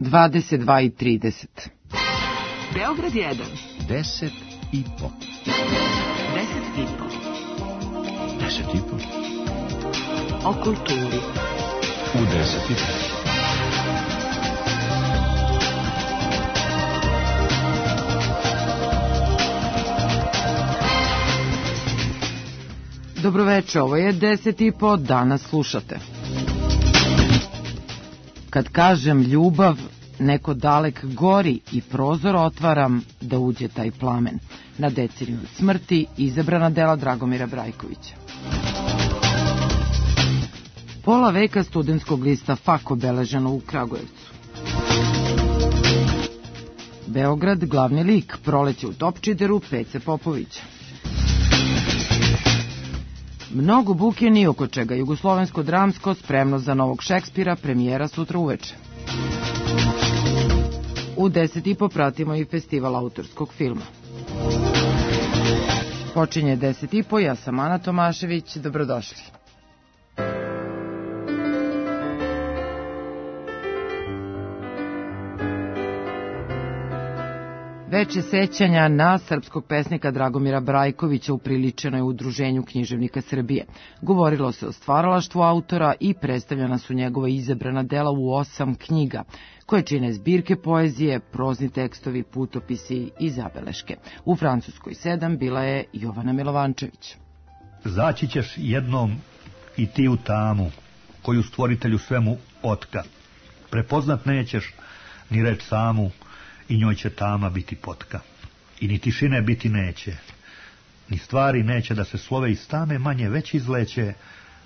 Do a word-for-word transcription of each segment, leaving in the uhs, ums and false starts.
dvadeset dva i trideset. Beograd jedan. Deset i po. Deset i po. Deset i po. O kulturi. U deset i po. Dobroveče, ovo je deset i po, danas slušate. Kad kažem ljubav, neko dalek gori i prozor otvaram da uđe taj plamen. Na deceniju od smrti izabrana dela Dragomira Brajkovića. Pola veka studentskog lista Fak obeleženo u Kragujevcu. Beograd, glavni lik, Proleće u Topčideru, Pece Popovića. Mnogo buke ni oko čega, jugoslovensko dramsko spremno za novog Šekspira, premijera sutra uveče. U deset i po pratimo i festival autorskog filma. Počinje deset i po, ja sam Ana Tomašević, dobrodošli. Veče sećanja na srpskog pesnika Dragomira Brajkovića upriličeno je u Udruženju književnika Srbije. Govorilo se o stvaralaštvu autora i predstavljena su njegova izabrana dela u osam knjiga, koje čine zbirke poezije, prozni tekstovi, putopisi i zabeleške. U Francuskoj sedam bila je Jovana Milovančević. Zaći ćeš jednom i ti u tamu, koju stvoritelju svemu otka. Prepoznat nećeš ni reč samu, i njoj će tama biti potka. I ni tišine biti neće, ni stvari neće da se slove iz tame manje već izleće,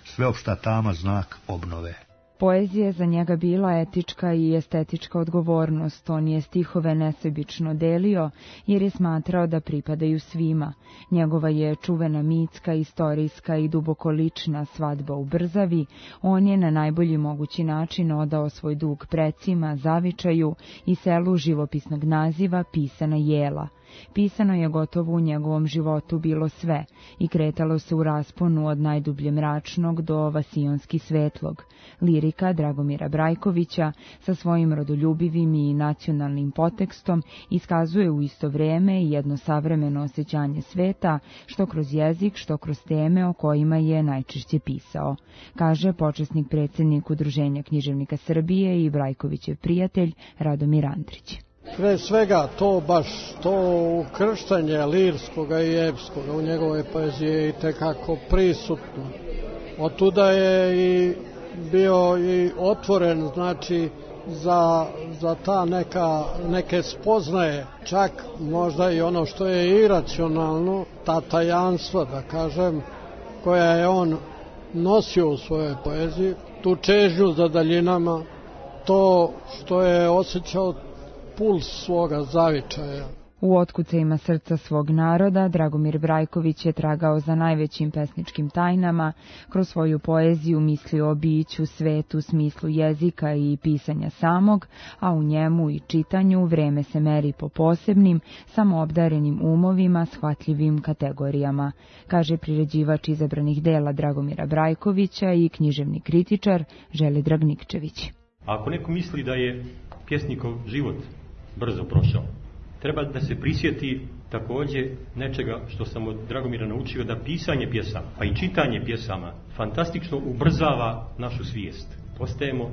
sveopšta tama znak obnove. Poezija je za njega bila etička i estetička odgovornost. On je stihove nesebično delio jer je smatrao da pripadaju svima. Njegova je čuvena mitska, istorijska i duboko lična Svadba u Brzavi. On je na najbolji mogući način odao svoj dug precima, zavičaju i selu živopisnog naziva Pisana jela. Pisano je gotovo u njegovom životu bilo sve i kretalo se u rasponu od najdublje mračnog do vasionski svetlog. Lirika Dragomira Brajkovića sa svojim rodoljubivim i nacionalnim potekstom iskazuje u isto vreme jedno savremeno osjećanje sveta, što kroz jezik, što kroz teme o kojima je najčešće pisao, kaže počasnik predsjednik Udruženja književnika Srbije i Brajkovićev prijatelj Radomir Andrić. Pre svega to baš to ukrštanje lirskoga i epskoga u njegove poezije i tekako prisutno. Otuda je i bio i otvoren, znači, za, za ta neka, neke spoznaje, čak možda i ono što je iracionalno, ta tajanstva, da kažem, koja je on nosio u svojoj poeziji, tu čežnju za daljinama, to što je osjećao puls svoga zavičaja. U otkucajima srca svog naroda Dragomir Brajković je tragao za najvećim pesničkim tajnama, kroz svoju poeziju mislio o biću, svetu, smislu jezika i pisanja samog, a u njemu i čitanju vreme se meri po posebnim, samoobdarenim umovima, shvatljivim kategorijama, kaže priređivač izabranih dela Dragomira Brajkovića i književni kritičar Želidrag Nikčević. Ako neko misli da je pjesnikov život brzo prošao, treba da se prisjeti također nečega što sam od Dragomira naučio, da pisanje pjesama, pa i čitanje pjesama, fantastično ubrzava našu svijest. Postajemo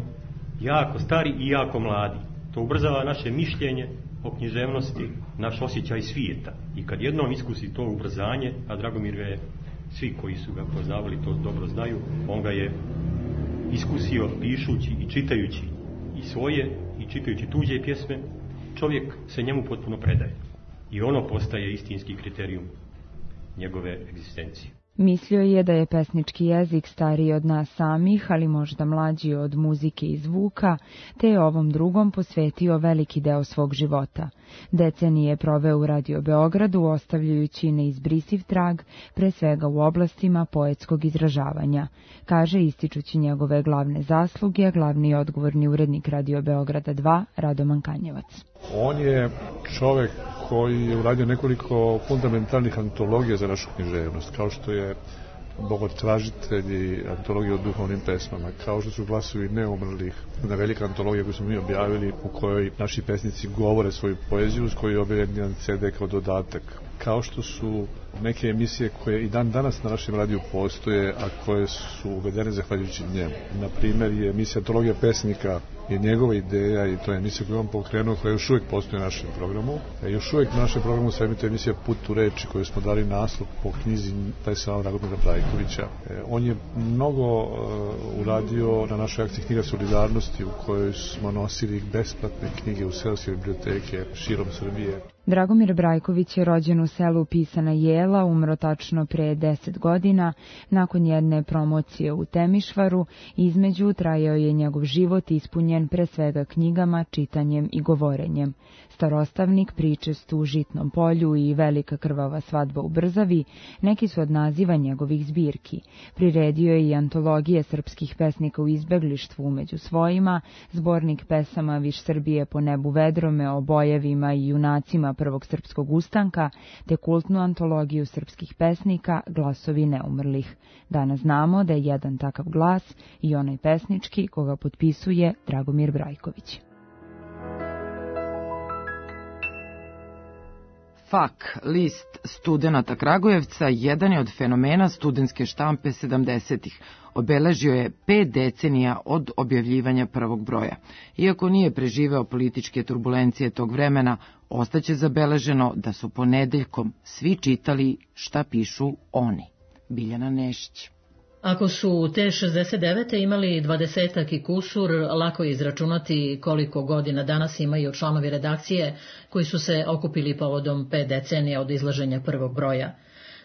jako stari i jako mladi. To ubrzava naše mišljenje o književnosti, naš osjećaj svijeta. I kad jednom iskusi to ubrzanje, a Dragomir je, svi koji su ga poznavali to dobro znaju, on ga je iskusio pišući i čitajući i svoje i čitajući tuđe pjesme, čovjek se njemu potpuno predaje. I ono postaje istinski kriterijum njegove egzistencije. Mislio je da je pesnički jezik stariji od nas samih, ali možda mlađi od muzike i zvuka, te je ovom drugom posvetio veliki deo svog života. Decenije je proveo u Radio Beogradu, ostavljajući neizbrisiv trag, pre svega u oblastima poetskog izražavanja, kaže ističući njegove glavne zasluge, glavni i odgovorni urednik Radio Beograda dva, Radoman Kanjevac. On je čovek koji je uradio nekoliko fundamentalnih antologija za našu književnost, kao što je bogotražitelji antologije o duhovnim pesmama, kao što su Glasovi neumrlih, na velika antologija koju smo mi objavili, u kojoj naši pesnici govore svoju poeziju, s kojoj je objavljen jedan ce de kao dodatak. Kao što su neke emisije koje i dan danas na našem radiju postoje, a koje su uvedene zahvaljujući njemu. Na primjer je emisija Antologija pesnika, je njegova ideja i to je emisija koju on pokrenuo, koja još uvijek postoji u našem programu. E, još uvijek na našem programu se emituje emisija Put u reči, koju smo dali naslov po knjizi pesama Dragomira Brajkovića. E, on je mnogo uh, uradio na našoj akciji Knjiga solidarnosti, u kojoj smo nosili besplatne knjige u seoske biblioteke širom Srbije. Dragomir Brajković je rođen u selu Pisana Jela, umro tačno pre deset godina, nakon jedne promocije u Temišvaru. Između trajao je njegov život ispunjen pre svega knjigama, čitanjem i govorenjem. Starostavnik, Pričest u Žitnom polju i Velika krvava svadba u Brzavi neki su od naziva njegovih zbirki. Priredio je i antologije srpskih pesnika u izbeglištvu među svojima, zbornik pesama Viš Srbije po nebu vedrome o bojevima i junacima prvog srpskog ustanka, te kultnu antologiju srpskih pesnika Glasovi neumrlih. Danas znamo da je jedan takav glas i onaj pesnički koga potpisuje Dragomir Brajković. Fak, list studenata Kragujevca, jedan je od fenomena studentske štampe sedamdesetih. Obeležio je pet decenija od objavljivanja prvog broja. Iako nije preživeo političke turbulencije tog vremena, ostaće zabeleženo da su ponedeljkom svi čitali šta pišu oni. Biljana Nešić. Ako su te šezdeset devete imali dvadesetak i kusur, lako je izračunati koliko godina danas imaju članovi redakcije koji su se okupili povodom pet decenija od izlaženja prvog broja.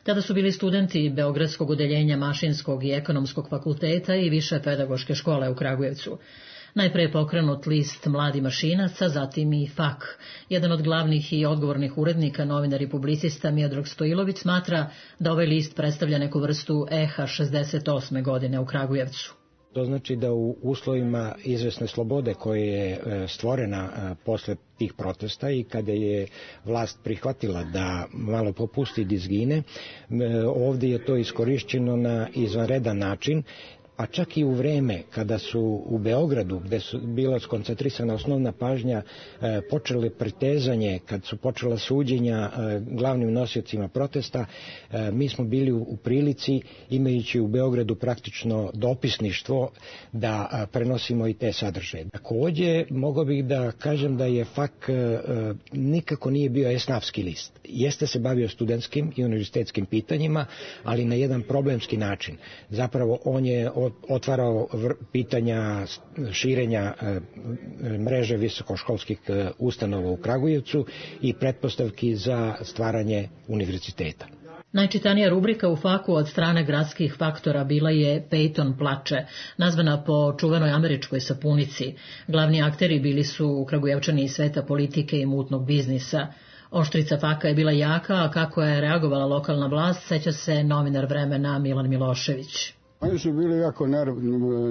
Tada su bili studenti Beogradskog odeljenja Mašinskog i Ekonomskog fakulteta i Više pedagoške škole u Kragujevcu. Najpre je pokrenut list Mladi mašinaca, zatim i Fak. Jedan od glavnih i odgovornih urednika, novinar i publicista Miodrag Stojilović smatra da ovaj list predstavlja neku vrstu eha šezdeset osme godine u Kragujevcu. To znači da u uslovima izvesne slobode koja je stvorena posle tih protesta i kada je vlast prihvatila da malo popusti dizgine, ovdje je to iskorišćeno na izvanredan način, a čak i u vreme kada su u Beogradu, gde su bila skoncentrisana osnovna pažnja, e, počele pretezanje, kad su počela suđenja e, glavnim nosiocima protesta, e, mi smo bili u, u prilici, imajući u Beogradu praktično dopisništvo, da a, prenosimo i te sadržaje. Takođe, mogao bih da kažem da je Fak e, nikako nije bio esnafski list. Jeste se bavio studentskim i univerzitetskim pitanjima, ali na jedan problemski način. Zapravo, on je otvarao pitanja širenja mreže visokoškolskih ustanova u Kragujevcu i pretpostavki za stvaranje univerziteta. Najčitanija rubrika u Faku od strane gradskih faktora bila je Peyton plače, nazvana po čuvenoj američkoj sapunici. Glavni akteri bili su Kragujevčani iz sveta politike i mutnog biznisa. Oštrica Faka je bila jaka, a kako je reagovala lokalna vlast, seća se novinar Vremena Milan Milošević. Oni su bili jako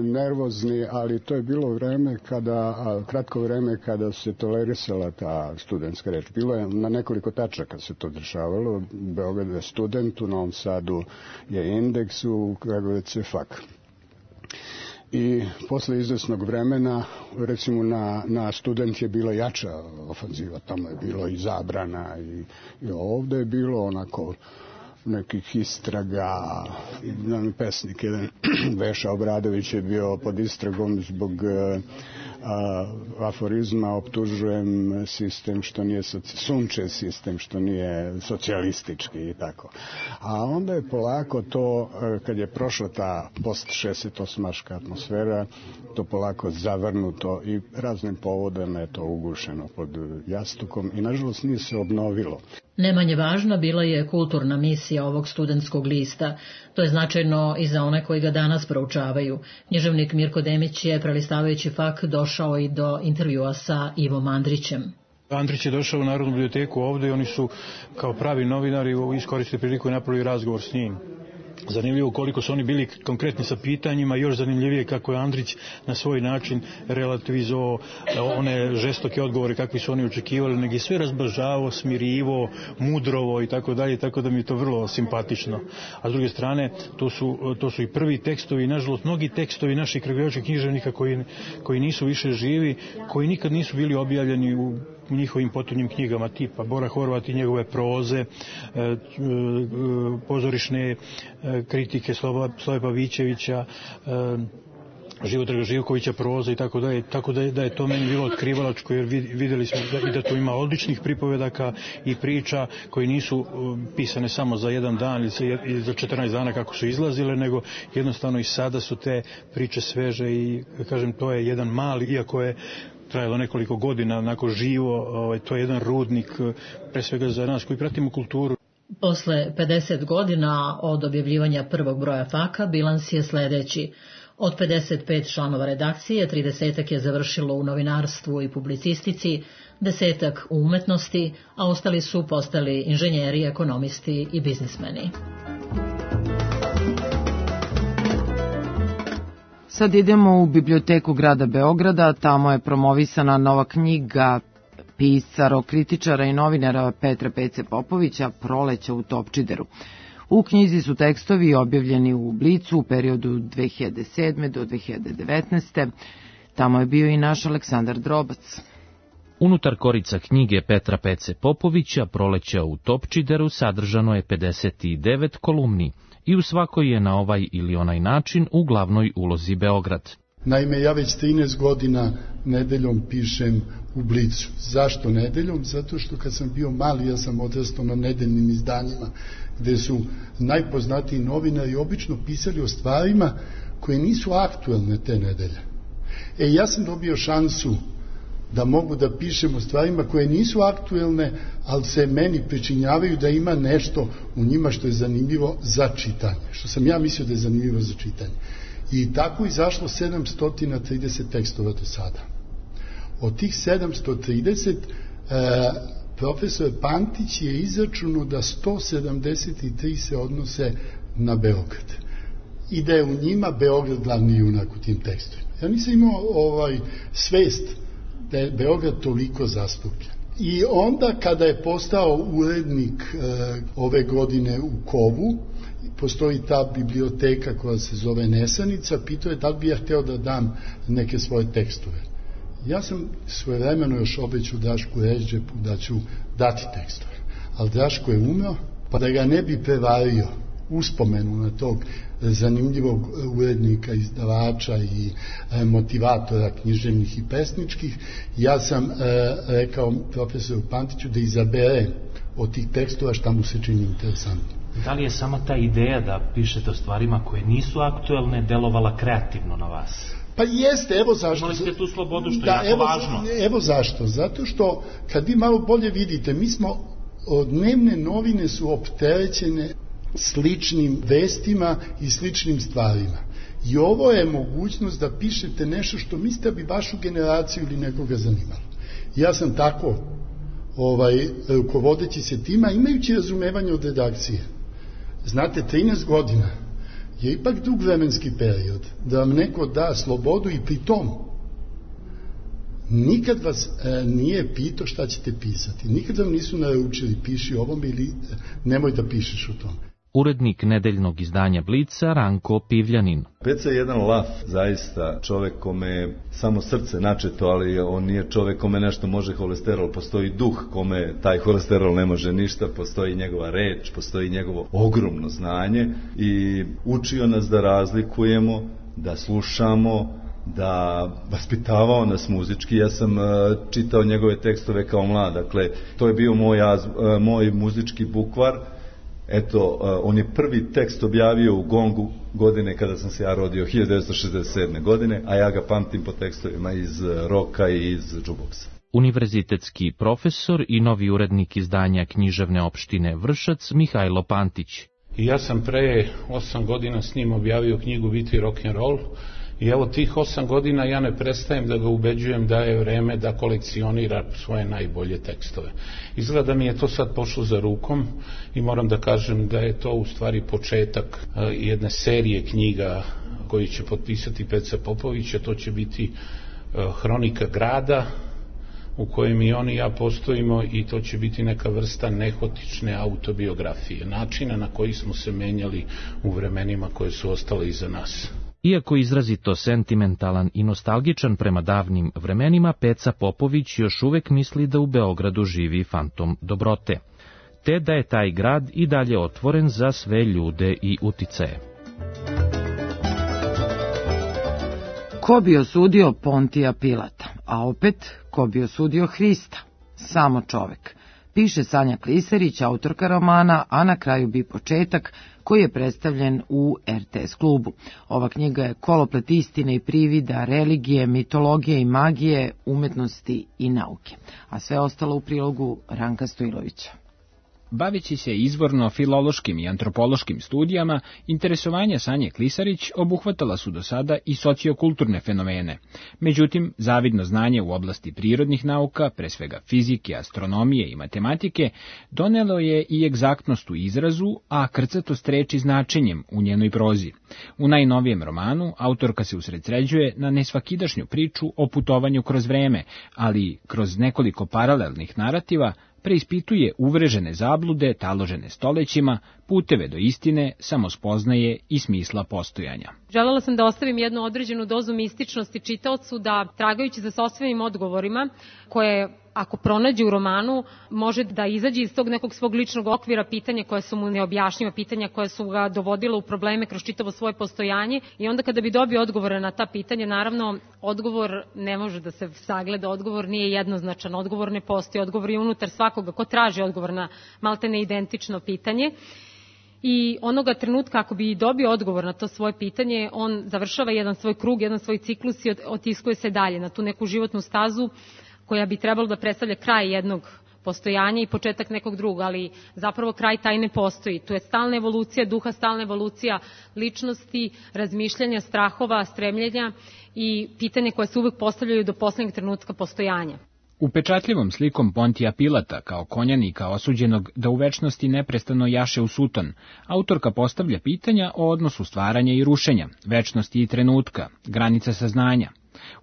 nervozni, ali to je bilo vreme kada, kratko vreme kada se tolerisala ta studentska reč. Bilo je na nekoliko tačaka se to dešavalo. Beograd je student, u Novom Sadu je Indeks, u Kragujevcu je Fak. I posle izvesnog vremena, recimo na, na student je bila jača ofanziva, tamo je bilo i zabrana i, i ovde je bilo onako nekih istraga. Jedan pesnik, jedan Veša Obradović je bio pod istragom zbog a, aforizma optužujem sistem što nije sunče sistem što nije socijalistički i tako. A onda je polako to, kad je prošla ta post šezdeset osmaška atmosfera, to polako zavrnuto i raznim povodama je to ugušeno pod jastukom i nažalost nije se obnovilo. Ne manje važna bila je kulturna misija ovog studentskog lista. To je značajno i za one koji ga danas proučavaju. Književnik Mirko Demić je, prelistavajući Fak, došao i do intervjua sa Ivom Andrićem. Andrić je došao u Narodnu biblioteku ovde i oni su kao pravi novinari iskoristili priliku i napravili razgovor s njim. zanimljivo koliko su oni bili konkretni sa pitanjima, još zanimljivije kako je Andrić na svoj način relativizovao one žestoke odgovore kakvi su oni očekivali, nego je sve razblažavao, smirivo, mudrovo i tako dalje, tako da mi je to vrlo simpatično. A s druge strane, to su, to su i prvi tekstovi, nažalost, mnogi tekstovi naših kragujevačkih književnika koji, koji nisu više živi, koji nikad nisu bili objavljeni u u njihovim potonjim knjigama, tipa Bora Horvat i njegove proze, e, e, pozorišne e, kritike Slova, Slove Pavićevića, e, Živodraga Živkovića proza i tako dalje, tako da je, da je to meni bilo otkrivalačko, jer vidjeli smo da, i da tu ima odličnih pripovedaka i priča koji nisu pisane samo za jedan dan ili za četrnaest dana kako su izlazile, nego jednostavno i sada su te priče sveže i, kažem, to je jedan mali, iako je trajalo nekoliko godina, onako živo, ovaj, to je jedan rudnik, pre svega za nas koji pratimo kulturu. Posle pedeset godina od objavljivanja prvog broja Faka, bilans je sledeći. Od pedeset pet članova redakcije, tridesetak je završilo u novinarstvu i publicistici, desetak u umetnosti, a ostali su postali inženjeri, ekonomisti i biznismeni. Sad idemo u biblioteku grada Beograda, tamo je promovisana nova knjiga pisara, kritičara i novinara Petra Pece Popovića Proleća u Topčideru. U knjizi su tekstovi objavljeni u Blicu u periodu dve hiljade sedme do dve hiljade devetnaeste. Tamo je bio i naš Aleksandar Drobac. Unutar korica knjige Petra Pece Popovića Proleća u Topčideru sadržano je pedeset devet kolumni i u svakoj je na ovaj ili onaj način u glavnoj ulozi Beograd. Naime, ja već trinaest godina nedeljom pišem u Blicu. Zašto nedeljom? Zato što kad sam bio mali, ja sam odrastao na nedeljnim izdanjima, gde su najpoznatiji novinari obično pisali o stvarima koje nisu aktuelne te nedelje. E, ja sam dobio šansu da mogu da pišem o stvarima koje nisu aktuelne, ali se meni pričinjavaju da ima nešto u njima što je zanimljivo za čitanje, što sam ja mislio da je zanimljivo za čitanje. I tako je izašlo sedamsto trideset tekstova do sada. Od tih sedamsto trideset e, profesor Pantić je izračunao da sto sedamdeset tri se odnose na Beograd i da je u njima Beograd glavni junak u tim tekstovima. Ja nisam imao ovaj svest da je Beograd toliko zastupljen. I onda kada je postao urednik e, ove godine u Kovu, postoji ta biblioteka koja se zove Nesanica, pitao je da li bi ja hteo da dam neke svoje tekstove. Ja sam svojevremeno još obećao Drašku Režđepu da ću dati tekstove, ali Draško je umeo, pa da ga ne bi prevario uspomenu na tog zanimljivog urednika, izdavača i e, motivatora književnih i pesničkih, ja sam e, rekao profesoru Pantiću da izabere od tih tekstova šta mu se čini interesantno. Da li je sama ta ideja da pišete o stvarima koje nisu aktuelne delovala kreativno na vas? Pa jeste, evo zašto. Imali ste tu slobodu što da, je jako evo, važno. Evo zašto. Zato što kad vi malo bolje vidite, mi smo, dnevne novine su opterećene sličnim vestima i sličnim stvarima. I ovo je mogućnost da pišete nešto što mislite bi vašu generaciju ili nekoga zanimalo. Ja sam tako ovaj, rukovodeći se tima, imajući razumevanje od redakcije. Znate, trinaest godina je ipak dug vremenski period da vam neko da slobodu i pri tom nikad vas e, nije pitao šta ćete pisati. Nikad vam nisu naručili piši ovom ili nemoj da pišeš o tom. Urednik nedeljnog izdanja Blica Ranko Pivljanin. Peca je jedan laf, zaista čovek kome samo srce načeto, ali on nije čovek kome nešto može holesterol, postoji duh kome taj holesterol ne može ništa, postoji njegova reč, postoji njegovo ogromno znanje i učio nas da razlikujemo, da slušamo, da vaspitavao nas muzički. Ja sam uh, čitao njegove tekstove kao mlad, dakle to je bio moj, uh, moj muzički bukvar. Eto, uh, on je prvi tekst objavio u Gongu godine kada sam se ja rodio, hiljadu devetsto šezdeset sedme. godine, a ja ga pamtim po tekstovima iz uh, roka i iz džuboksa. Univerzitetski profesor i novi urednik izdanja književne opštine Vršac Mihajlo Pantić. I ja sam pre osam godina s njim objavio knjigu Biti rock'n'roll I evo tih osam godina ja ne prestajem da ga ubeđujem da je vreme da kolekcionira svoje najbolje tekstove. Izgleda mi je to sad pošlo za rukom i moram da kažem da je to u stvari početak jedne serije knjiga koji će potpisati Peca Popović, a to će biti Hronika grada, u kojem i on i ja postojimo, i to će biti neka vrsta nehotične autobiografije, načina na koji smo se menjali u vremenima koje su ostale iza nas. Iako izrazito sentimentalan i nostalgičan prema davnim vremenima, Peca Popović još uvek misli da u Beogradu živi fantom dobrote, te da je taj grad i dalje otvoren za sve ljude i uticaje. Ko bi osudio Pontija Pilata, a opet ko bi osudio Hrista? Samo čovek. Piše Sanja Klisarić, autorka romana, a na kraju bi početak, koji je predstavljen u er te es klubu. Ova knjiga je koloplet istine i privida, religije, mitologije i magije, umetnosti i nauke. A sve ostalo u prilogu Ranka Stojlovića. Baveći se izvorno filološkim i antropološkim studijama, interesovanja Sanje Klisarić obuhvatala su do sada i sociokulturne fenomene. Međutim, zavidno znanje u oblasti prirodnih nauka, pre svega fizike, astronomije i matematike, donelo je i egzaktnost u izrazu, a krcatost reči značenjem u njenoj prozi. U najnovijem romanu autorka se usredsređuje na nesvakidašnju priču o putovanju kroz vreme, ali kroz nekoliko paralelnih narativa preispituje uvrežene zablude taložene stolećima, puteve do istine, samospoznaje i smisla postojanja. Želela sam da ostavim jednu određenu dozu mističnosti čitaocu, da tragajući za sopstvenim odgovorima, koje ako pronađe u romanu, može da izađe iz tog nekog svog ličnog okvira pitanja koja su mu neobjašnjiva, pitanja koja su ga dovodila u probleme kroz čitavo svoje postojanje, i onda kada bi dobio odgovore na ta pitanja, naravno, odgovor ne može da se sagleda, odgovor nije jednoznačan, odgovor ne postoji, odgovor je unutar svakoga ko traži odgovor na maltene identično pitanje. I onoga trenutka ako bi dobio odgovor na to svoje pitanje, on završava jedan svoj krug, jedan svoj ciklus i otiskuje se dalje na tu neku životnu stazu koja bi trebalo da predstavlja kraj jednog postojanja i početak nekog drugog, ali zapravo kraj taj ne postoji. Tu je stalna evolucija duha, stalna evolucija ličnosti, razmišljanja, strahova, stremljenja i pitanje koje se uvek postavljaju do poslednjeg trenutka postojanja. Upečatljivom slikom Pontija Pilata kao konjanika osuđenog da u večnosti neprestano jaše u suton, autorka postavlja pitanja o odnosu stvaranja i rušenja, večnosti i trenutka, granica saznanja.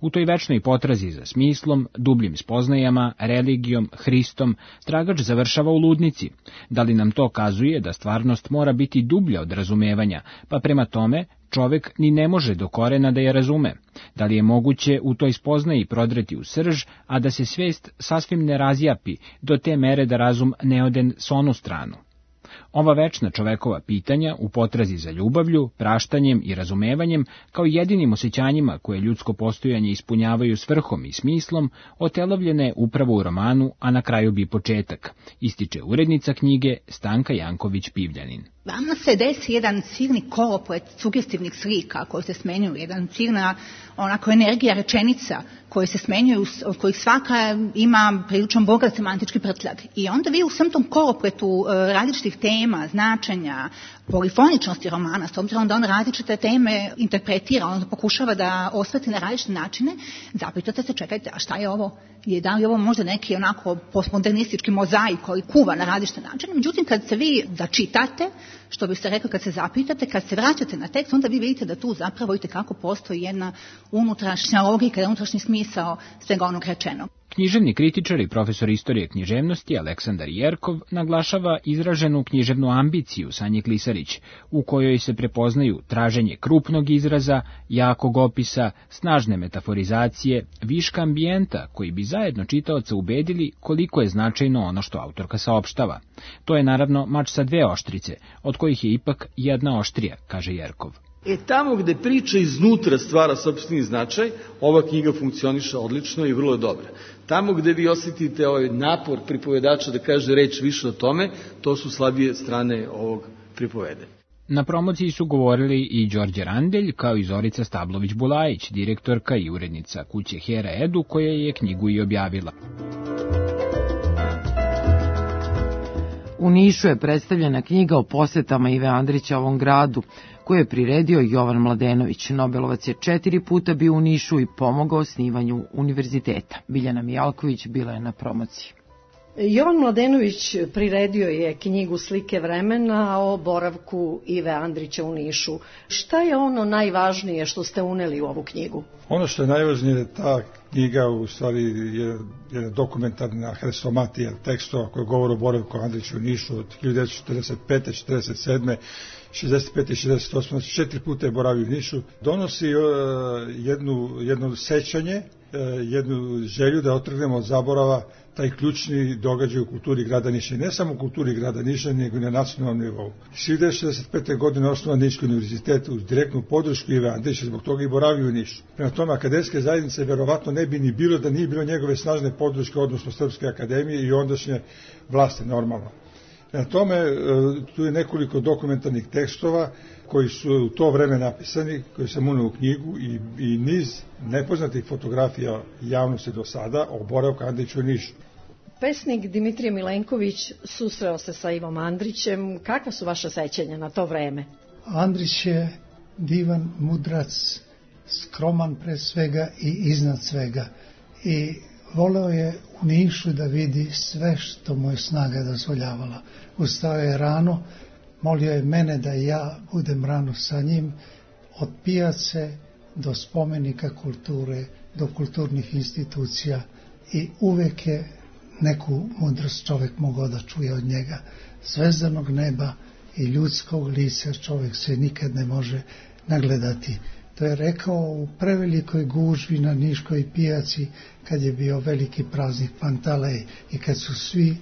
U toj večnoj potrazi za smislom, dubljim spoznajama, religijom, Hristom, tragač završava u ludnici. Da li nam to kazuje da stvarnost mora biti dublja od razumevanja, pa prema tome čovek ni ne može do korena da je razume? Da li je moguće u toj spoznaji prodreti u srž, a da se svest sasvim ne razjapi do te mere da razum ne ode s onu stranu? Ova večna čovekova pitanja u potrazi za ljubavlju, praštanjem i razumevanjem, kao jedinim osjećanjima koje ljudsko postojanje ispunjavaju svrhom i smislom, otelovljene upravo u romanu, a na kraju bi početak, ističe urednica knjige Stanka Janković-Pivljanin. Vama se desi jedan silni koloplet sugestivnih slika koji se smenjuju, jedan silna onako energija rečenica koje se smenjuju, od kojih svaka ima priličan bogat semantički prtljag. I onda vi u svem tom kolopletu različitih tema, značenja, polifoničnosti romana, s obzirom da on različite teme interpretira, on pokušava da osvetli na različite načine, zapitate se, čekajte, a šta je ovo? Je da li ovo možda neki onako postmodernistički mozaik koji kuva na različite načine? Međutim, kad se vi začitate, što biste rekli kad se zapitate, kad se vraćate na tekst, onda vi vidite da tu zapravo i kako postoji jedna unutrašnja logika, unutrašnji smisao svega onog rečenog. Književni kritičar i profesor istorije književnosti Aleksandar Jerkov naglašava izraženu književnu ambiciju Sanje Klisarić, u kojoj se prepoznaju traženje krupnog izraza, jakog opisa, snažne metaforizacije, viška ambijenta koji bi zajedno čitaoca ubedili koliko je značajno ono što autorka saopštava. To je naravno mač sa dve oštrice, od kojih je ipak jedna oštrija, kaže Jerkov. E tamo gde priča iznutra stvara sopstveni značaj, ova knjiga funkcioniše odlično i vrlo je dobra. Tamo gde vi osjetite ovaj napor pripovedača da kaže reč više o tome, to su slabije strane ovog pripovede. Na promociji su govorili i Đorđe Randelj, kao i Zorica Stablović-Bulajić, direktorka i urednica kuće Hera Edu, koja je knjigu i objavila. U Nišu je predstavljena knjiga o posetama Ive Andrića ovom gradu. koju je priredio Jovan Mladenović. Nobelovac je četiri puta bio u Nišu i pomogao osnivanju univerziteta. Biljana Mijalković bila je na promociji. Jovan Mladenović priredio je knjigu Slike vremena o boravku Ive Andrića u Nišu. Šta je ono najvažnije što ste uneli u ovu knjigu? Ono što je najvažnije je ta knjiga u stvari je, je dokumentarna hrestomatija tekstova koja govore o boravku Andrića u Nišu od hiljadu devetsto četrdeset pete, četrdeset sedme, šezdeset pete i šezdeset osme. Znači četiri puta je boravio u Nišu. Donosi uh, jednu, jedno sećanje, uh, jednu želju da otrgnemo od zaborava taj ključni događaj u kulturi grada Niša. I ne samo u kulturi grada Niša, nego i na nacionalnom nivou. hiljadu devetsto šezdeset pete. godine osnovan Niški univerzitet uz direktnu podršku Ive Andrića, zbog toga i boravio u Nišu. Prema tome, akademske zajednice verovatno ne bi ni bilo da nije bilo njegove snažne podrške, odnosno Srpske akademije i ondašnje vlasti normalno. Prema tome, tu je nekoliko dokumentarnih tekstova koji su u to vreme napisani, koji sam uneo u knjigu i, i niz nepoznatih fotografija javnosti do sada o boravku Andrića u Nišu. Pesnik Dimitrije Milenković susreo se sa Ivom Andrićem. Kakva su vaša sećanja na to vreme? Andrić je divan mudrac, skroman pre svega i iznad svega. I voleo je u Nišu da vidi sve što mu je snaga dozvoljavala. Ustao je rano, molio je mene da ja budem rano sa njim, od pijace do spomenika kulture, do kulturnih institucija i uvek je neku mudrost čovek mogao da čuje od njega. Zvezdanog neba i ljudskog lica čovek se nikad ne može nagledati. To je rekao u prevelikoj gužvi na Niškoj pijaci kad je bio veliki praznik Pantalej i kad su svi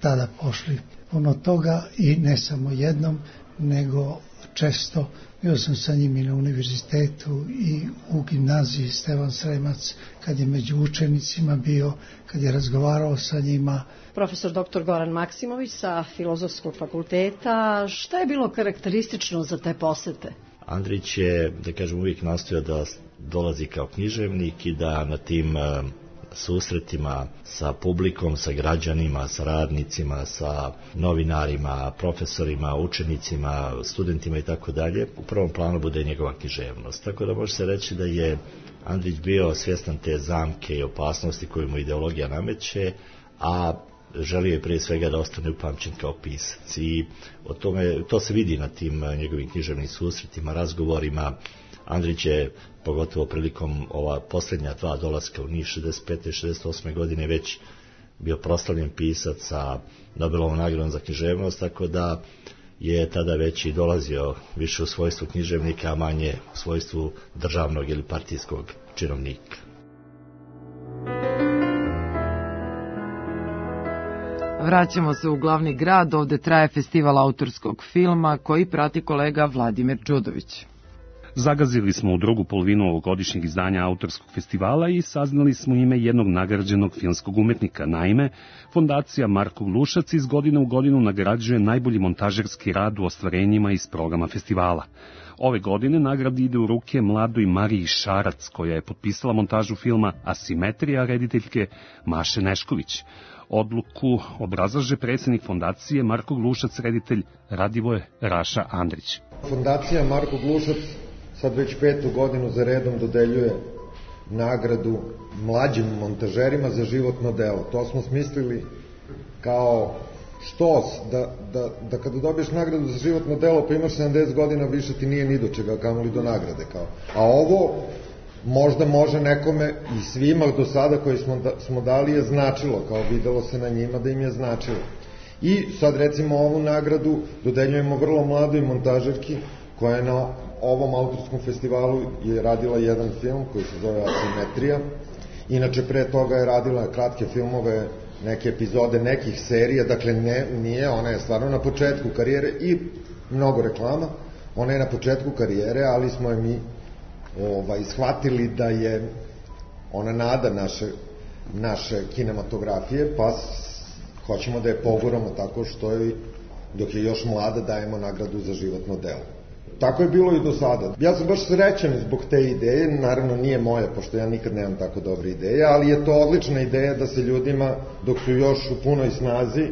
tada pošli. Puno toga i ne samo jednom, nego često. Bio sam sa njim i na univerzitetu i u gimnaziji Stevan Sremac, kad je među učenicima bio, kad je razgovarao sa njima. Profesor doktor Goran Maksimović sa Filozofskog fakulteta, šta je bilo karakteristično za te posete? Andrić je, da kažem, uvijek nastojao da dolazi kao književnik i da na tim susretima sa publikom, sa građanima, sa radnicima, sa novinarima, profesorima, učenicima, studentima i tako dalje, u prvom planu bude njegova književnost. Tako da može se reći da je Andrić bio svjestan te zamke i opasnosti koju mu ideologija nameće, a želio je prije svega da ostane upamćen kao pisac. I o tome, to se vidi na tim njegovim književnim susretima, razgovorima. Andrić je, pogotovo prilikom ova posljednja dva dolaska u Niš šezdeset pete i šezdeset osme. godine već bio proslavljen pisac sa Nobelovom nagradom za književnost, tako da je tada već i dolazio više u svojstvu književnika, a manje u svojstvu državnog ili partijskog činovnika. Vraćamo se u glavni grad, ovde traje festival autorskog filma koji prati kolega Vladimir Đudović. Zagazili smo u drugu polovinu ovogodišnjeg izdanja autorskog festivala i saznali smo ime jednog nagrađenog filmskog umetnika. Naime, Fondacija Marko Glušac iz godine u godinu nagrađuje najbolji montažerski rad u ostvarenjima iz programa festivala. Ove godine nagrada ide u ruke mladoj Mariji Šarac, koja je potpisala montažu filma Asimetrija rediteljke Maše Nešković. Odluku obrazlaže predsjednik fondacije Marko Glušac, reditelj Radivoje Raša Andrić. Fondacija Marko Glušac sad već petu godinu za redom dodeljuje nagradu mlađim montažerima za životno delo. To smo smislili kao štos, da, da, da kada dobiješ nagradu za životno delo pa imaš sedamdeset godina, više ti nije ni do čega, kamoli do nagrade. Kao. A ovo možda može nekome i svima do sada koji smo, da, smo dali je značilo, kao videlo se na njima da im je značilo. I sad recimo ovu nagradu dodeljujemo vrlo mladoj montažerki koja je na ovom autorskom festivalu je radila jedan film koji se zove Asimetrija. Inače pre toga je radila kratke filmove, neke epizode nekih serija, dakle ne, nije, ona je stvarno na početku karijere i mnogo reklama, ona je na početku karijere, ali smo je mi ovaj, shvatili da je ona nada naše, naše kinematografije, pa hoćemo da je poguramo tako što je, dok je još mlada, dajemo nagradu za životno delo. Tako je bilo i do sada. Ja sam baš srećan zbog te ideje, naravno nije moja, pošto ja nikad nemam tako dobre ideje, ali je to odlična ideja da se ljudima, dok su još u punoj snazi,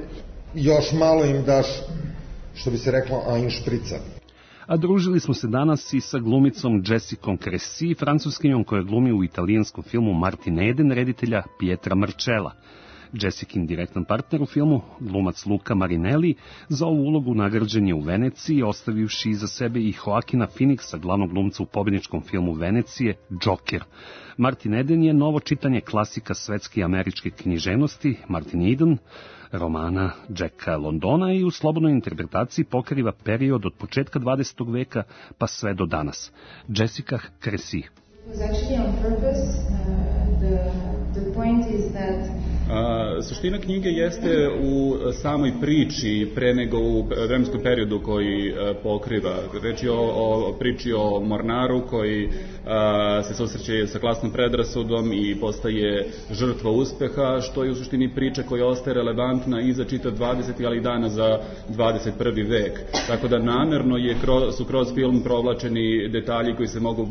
još malo im daš, što bi se reklo, a in šprica. A družili smo se danas i sa glumicom Jessicom Cressy, francuskinjom koja glumi u italijanskom filmu Martin Eden reditelja Pietra Marcella. Jessicin direktan partner u filmu, glumac Luca Marinelli, za ovu ulogu nagrađen je u Veneciji, ostavivši iza sebe i Joaquina Phoenixa, glavnog glumca u pobedničkom filmu Venecije, Joker. Martin Eden je novo čitanje klasika svetske i američke književnosti, Martin Eden, romana Jacka Londona, i u slobodnoj interpretaciji pokriva period od početka dvadesetog veka pa sve do danas. Jessica Cressy. A, suština knjige jeste u samoj priči pre nego u vremenskom periodu koji a, pokriva. Reč je o, o priči o mornaru koji a, se susreće sa klasnom predrasudom i postaje žrtva uspeha, što je u suštini priča koja ostaje relevantna i za čitav dvadeseti ali i dana za dvadeset prvi vek. Tako da namerno je, su kroz film provlačeni detalji koji se mogu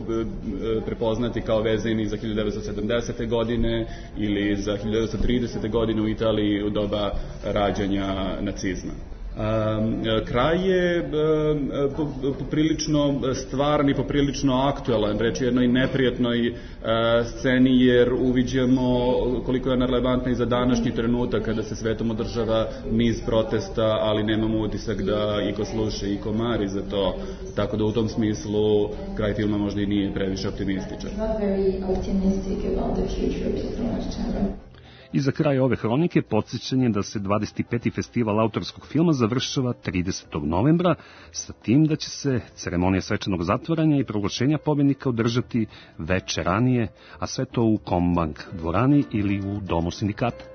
prepoznati kao vezani za hiljadu devetsto sedamdesete godine ili za hiljadu devetsto tridesete godine u Italiji u doba rađanja nacizma. Kraj je poprilično stvaran i poprilično aktuelan, reč je jednoj neprijatnoj sceni, jer uviđamo koliko je relevantna i za današnji trenutak kada se svetom održava niz protesta, ali nemamo utisak da iko sluša i iko mari za to, tako da u tom smislu kraj filma možda i nije previše optimističan. I za kraj ove hronike podsjećanje da se dvadeset peti festival autorskog filma završava tridesetog novembra, sa tim da će se ceremonija svečanog zatvaranja i proglašenja pobednika održati veče ranije, a sve to u Kombank dvorani ili u Domu sindikata.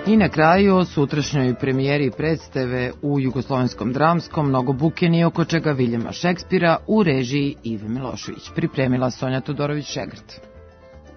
I na kraju o sutrašnjoj premijeri predstave u Jugoslovenskom dramskom Mnogo buke ni oko čega Viljama Šekspira u režiji Ive Milošević. Pripremila Sonja Todorović-Šegrt.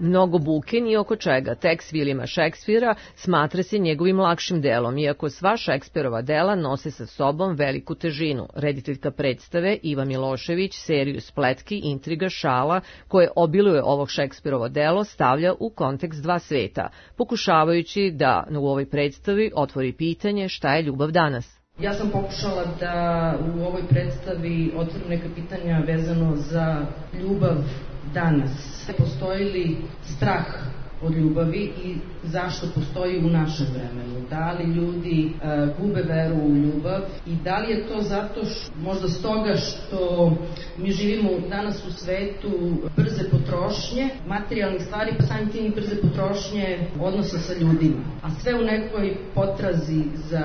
Mnogo buke ni oko čega. Tekst Viljama Šekspira smatra se njegovim lakšim delom, iako sva Šekspirova dela nose sa sobom veliku težinu. Rediteljka predstave Iva Milošević seriju spletki, intriga, šala koje obiluje ovog Šekspirovo delo stavlja u kontekst dva sveta, pokušavajući da u ovoj predstavi otvori pitanje šta je ljubav danas. Ja sam pokušala da u ovoj predstavi otvorim neka pitanja vezano za ljubav danas. Postoji li strah od ljubavi i zašto postoji u našem vremenu? Da li ljudi uh, gube veru u ljubav i da li je to zato što, možda stoga što mi živimo danas u svetu brze potrošnje, materijalnih stvari, pa samim tim i brze potrošnje odnosa sa ljudima, a sve u nekoj potrazi za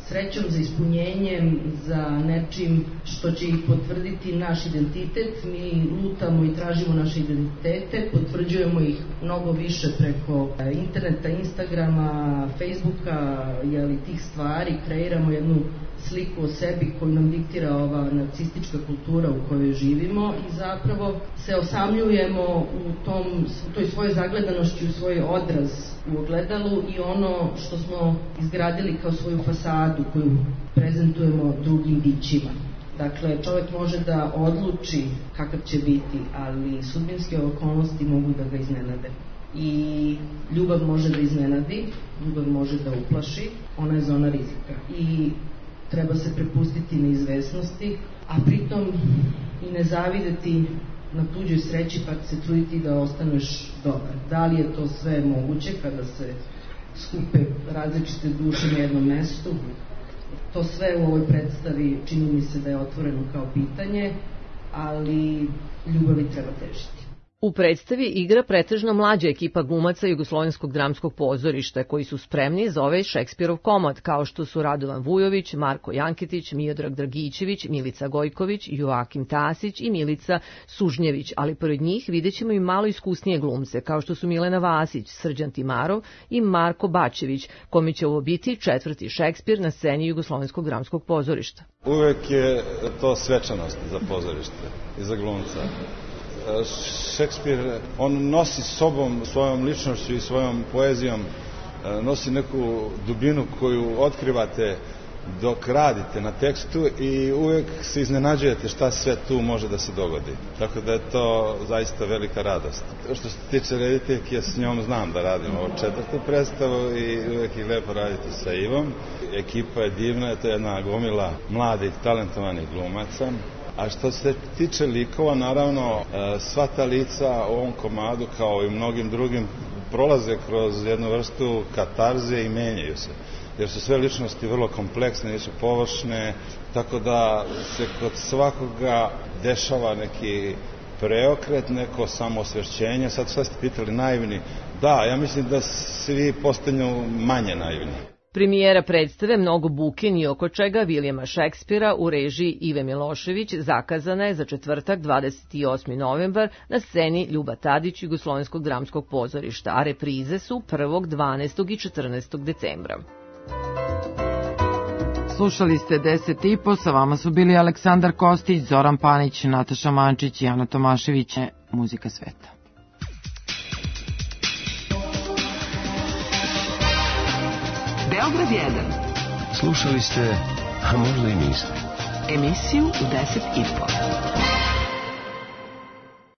srećom, za ispunjenjem, za nečim što će ih potvrditi naš identitet. Mi lutamo i tražimo naše identitete, potvrđujemo ih mnogo više preko interneta, Instagrama, Facebooka, jeli, tih stvari, kreiramo jednu sliku o sebi koju nam diktira ova nacistička kultura u kojoj živimo i zapravo se osamljujemo u, tom, u toj svojoj zagledanošću, u svoj odraz u ogledalu i ono što smo izgradili kao svoju fasadu koju prezentujemo drugim bićima. Dakle, čovjek može da odluči kakav će biti, ali sudbinske okolnosti mogu da ga iznenade. I ljubav može da iznenadi, ljubav može da uplaši, ona je zona rizika. I treba se prepustiti neizvesnosti, a pritom i ne zavideti na tuđoj sreći pa se truditi da ostaneš dobar. Da li je to sve moguće kada se skupe različite duše na jednom mestu? To sve u ovoj predstavi čini mi se da je otvoreno kao pitanje, ali ljubavi treba težiti. U predstavi igra pretežno mlađa ekipa glumaca Jugoslovenskog dramskog pozorišta koji su spremni za ovaj Šekspirov komad, kao što su Radovan Vujović, Marko Janketić, Miodrag Dragićević, Milica Gojković, Joakim Tasić i Milica Sužnjević, ali pored njih vidjet ćemo i malo iskusnije glumce, kao što su Milena Vasić, Srđan Timarov i Marko Bačević, kome će ovo biti četvrti Šekspir na sceni Jugoslovenskog dramskog pozorišta. Uvek je to svečanost za pozorište i za glumca. Šekspir, on nosi sobom, svojom ličnošću i svojom poezijom, nosi neku dubinu koju otkrivate dok radite na tekstu i uvek se iznenađujete šta sve tu može da se dogodi. Tako da je to zaista velika radost. Što se tiče rediteljke, ja s njom znam da radim ovo četvrtu predstavu i uvek je lepo raditi sa Ivom. Ekipa je divna, to je jedna gomila mladih, talentovanih glumaca. A što se tiče likova, naravno, sva ta lica u ovom komadu, kao i mnogim drugim, prolaze kroz jednu vrstu katarze i menjaju se. Jer su sve ličnosti vrlo kompleksne, nisu površne, tako da se kod svakoga dešava neki preokret, neko samoosvešćenje. Sad šta ste pitali, naivni? Da, ja mislim da svi postanu manje naivni. Premijera predstave Mnogo buke ni oko čega Vilijama Šekspira u režiji Ive Milošević zakazana je za četvrtak dvadeset osmi novembar na sceni Ljuba Tadić Jugoslovenskog dramskog pozorišta, a reprize su prvog, dvanaestog i četrnaestog decembra. Slušali ste deset i po, sa vama su bili Aleksandar Kostić, Zoran Panić, Nataša Mančić i Ana Tomašević. Muzika sveta. Beograd jedan. Slušali ste, a možda i niste, emisiju u deset i po.